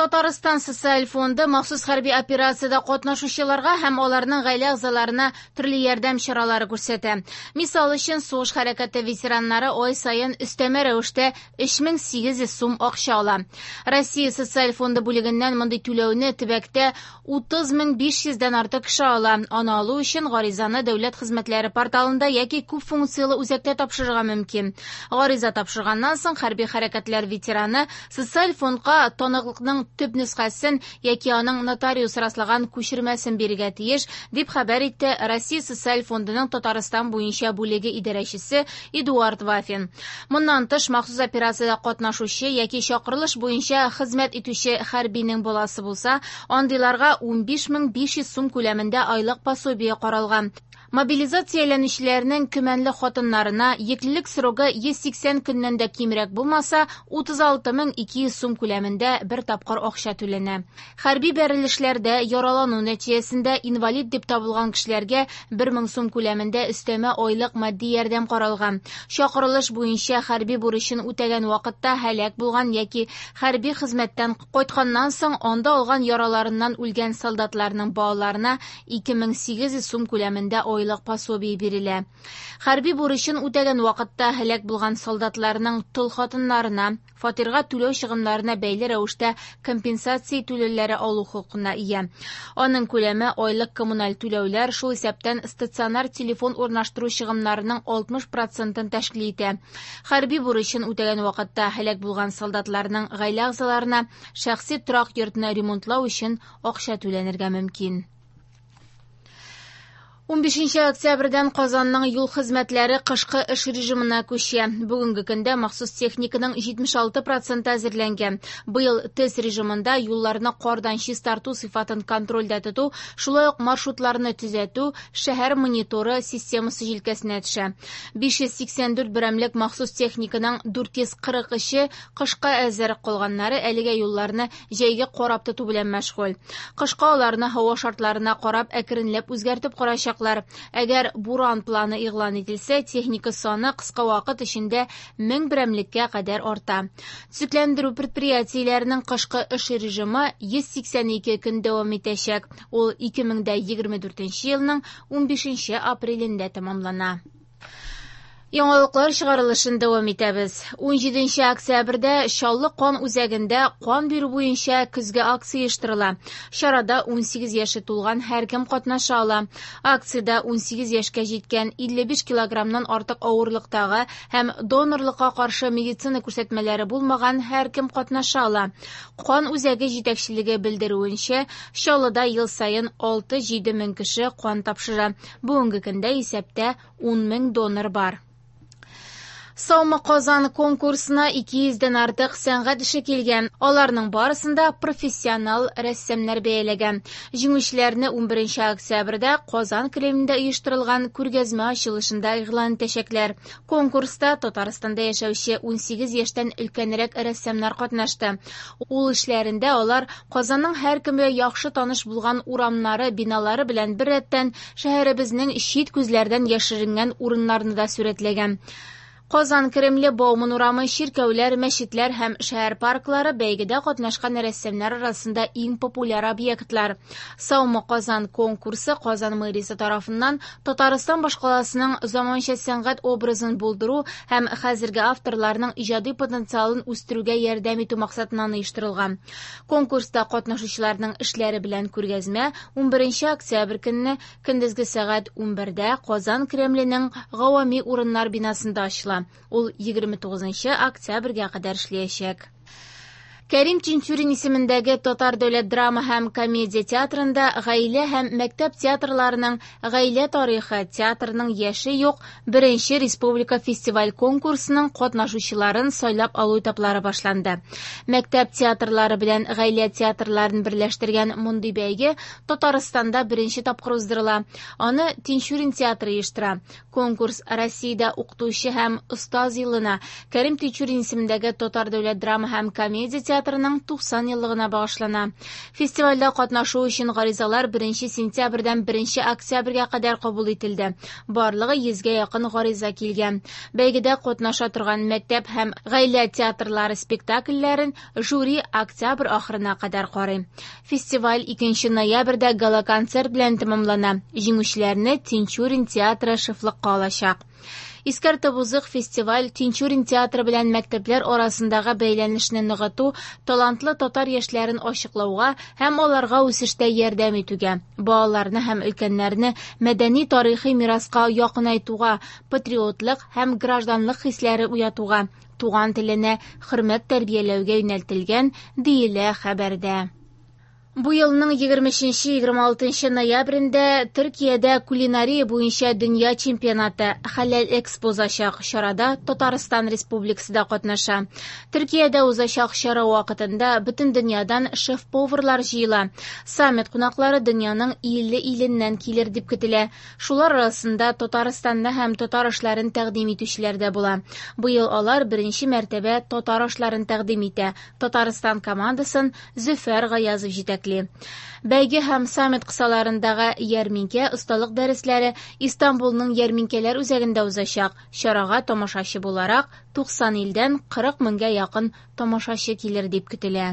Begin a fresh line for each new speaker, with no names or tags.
Татарстан Социаль фонды махсус хәрби операциядә катнашучыларга һәм аларның гаилә әгъзаларына төрле ярдәм чаралары күрсәтә. Мисал өчен, сугыш хәрәкәте ветераннары ай саен өстәмә рәвештә 3800 сум акча ала. Россия Социаль фонды бүлегеннән мондый түләүне төбәктә 30 500 дән артык кеше ала. Аны алу өчен гаризаны дәүләт хезмәтләре порталында яки күп функцияле үзәктә тапшырырга мөмкин. Гариза тапшырганнан соң хәрби хәрәкәтләр ветераны социаль фондка таныклыкның төп нөсхәсен яки аның нотариус раслаган күчермәсен бирергә тиеш, дип хәбәр итте Россия Социаль фондының Татарстан буенча бүлеге идарәчесе Эдуард Вафин. Моннан тыш, махсус операциядә катнашучы яки чакырылыш буенча хезмәт итүче хәрбинең баласы булса, андыйларга 15 500 сум күләмендә айлык пособие каралган. Мобилизацияләнүчеләрнең көмәнле хатыннарына йөклелек срогы 180 көннән дә кимрәк булмаса, 36 200 сум күләмендә бер тапкыр акча түләнә. Хәрби бәрелешләрдә яралану нәтиҗәсендә инвалид дип табылган кешеләргә 1000 сум күләмендә өстәмә айлык матди ярдәм каралган. Чакырылыш буенча хәрби бурычын үтәгән вакытта һәлак булган яки хәрби хезмәттән кайтканнан соң анда алган яраларыннан үлгән солдатларның балаларына 2800 сум күләмендә айлык пособие бирелә. Хәрби бурычын үтәгән вакытта һәлак булган солдатларның тол хатыннарына фатирга түләү чыгымнарына бәйле рәвештә компенсация түләүләре алу хокукына ия. Аның күләме айлык коммуналь түләүләр, шул исәптән стационар телефон урнаштыру чыгымнарының 60 процентын тәшкил итә. Хәрби бурычын үтәгән вакытта һәлак булган солдатларның гаилә әгъзаларына шәхси торак йортны ремонтлау өчен акча түләнергә мөмкин. 15 октябрьдән Казанның юл хезмәтләре кышкы эш режимына күчә. Бүгенге көндә махсус техниканың 76% әзерләнгән. Быел тест режимында юлларны кардан чистарту сыйфатын контрольдә тоту, шулай ук маршрутларны төзәтү шәһәр мониторы системасы җилкәсенә төшә. 584 берәмлек махсус техниканың 443-е кышка әзер, калганнары әлегә юлларны җәйге карап тоту белән мәшгуль. Кышка аларны һава шартларына карап әкренләп үзгәртеп карачаклар. Әгәр буран планы игълан ителсә, техника саны кыска вакыт эчендә 1000 берәмлеккә кадәр арта. Төзекләндерү предприятиеләренең кышкы эш режимы 182 көн дәвам итәчәк. Ул 2024 елның 15 апрелендә тәмамлана. Яңалыклар чыгарылышын дәвам итәбез. 17 октябрьдә Чаллы кан үзәгендә кан бирү буенча көзге акция оештырыла. Чарада 18 яше тулган һәркем катнаша ала. Акциядә 18 яшькә җиткән, 55 килограммнан артык авырлыктагы һәм донорлыкка каршы медицина күрсәтмәләре булмаган һәркем катнаша ала. Кан үзәге җитәкчелеге белдерүенчә, Чаллыда ел саен 6-7 мең кеше кан тапшыра. Бүгенге көндә исәптә 10 мең донор бар. Саумы Казан конкурсына 200 дән артык сәнгать эше килгән. Аларның барысын да профессионал рәссамнар бәяләгән. Җиңүчеләрне 11 октябрьдә Казан Кремлендә оештырылган күргәзмә ачылышында игълан итәчәкләр. Конкурста Татарстанда яшәүче 18 яшьтән өлкәнрәк рәссамнар катнашты. Ул эшләрендә алар Казанның һәркемгә яхшы таныш булган урамнары, биналары белән беррәттән шәһәребезнең чит күзләрдән яшеренгән урыннарны да сурәтләгән. Казан Кремле, Бауман урамы, чиркәүләр, мәчетләр һәм шәһәр парклары бәйгедә катнашкан рәссамнар арасында иң популяр объектлар. Саумы Казан конкурсы Казан мэриясе тарафыннан Татарстан башкаласының заманча сәнгать образын булдыру һәм хәзерге авторларның иҗади потенциалын үстерүгә ярдәм итү максатыннан оештырылган. Конкурста катнашучыларның эшләре белән күргәзмә 11 октябрь көнне көндезге сәгать 11дә Казан Кремленең гавами урыннар бинасында ачыла. Ул 29 октябрьгә кадәр эшләячәк. Кәрим Тинчурин исемендәге Татар дәүләт драма һәм комедия театрында гаилә һәм мәктәп театрларының «Гаилә тарихы. Театрның яше юк» беренче республика фестиваль конкурсының катнашучыларын сайлап алу этаплары башланды. Мәктәп театрлары белән гаилә театрларын берләштергән мондый бәйге Татарстанда беренче тапкыр уздырыла. Аны Тинчурин театры оештыра. Конкурс Россиядә укытучы һәм остаз елына, Кәрим Тинчурин исемендәге Татар дәүләт драма һәм комедия театры театрының 90 еллыгына багышлана. Фестивальдә катнашу өчен гаризалар 1 сентябрьдән 1 октябрьгә кадәр кабул ителде. Барлыгы 100гә якын гариза килгән. Бәйгедә катнаша торган мәктәп һәм гаилә театрлары спектакльләрен жюри октябрь ахырына кадәр карый. Фестиваль 2 ноябрьдә гала-концерт белән тәмамлана. Җиңүчеләрне Тинчурин театры шефлыкка алачак. Искәртеп узыйк, фестиваль Тинчурин театры белән мәктәпләр арасындагы бәйләнешне ныгыту, талантлы татар яшьләрен ачыклауга һәм аларга үсештә ярдәм итүгә, балаларны һәм өлкәннәрне мәдәни тарихи мираска якынайтуга, патриотлык һәм гражданлык хисләре уятуга, туган теленә хөрмәт тәрбияләүгә юнәлтелгән, диелә хәбәрдә. Бу елның 23-26 ноябрендә Төркиядә кулинария буенча дөнья чемпионаты Хәләл Экспо узачак. Чарада Татарстан Республикасы да катнаша. Төркиядә узачак чара вакытында бөтен дөньядан шеф-поварлар җыела. Саммит кунаклары дөньяның 50 иленнән килер дип көтелә. Шулар арасында Татарстанны һәм татар ашларын тәкъдим итүчеләр дә була. Быел алар беренче мәртәбә татар ашларын тәкъдим итә. Татарстан командасын Зөфәр Гаязов җитәкли. Бәйге һәм саммит кысаларындагы ярминкә осталык дәресләре Истанбулның ярминкәләр үзәгендә узачак. Чарага тамашачы буларак 90 илдән 40 меңгә якын тамашачы килер дип көтелә.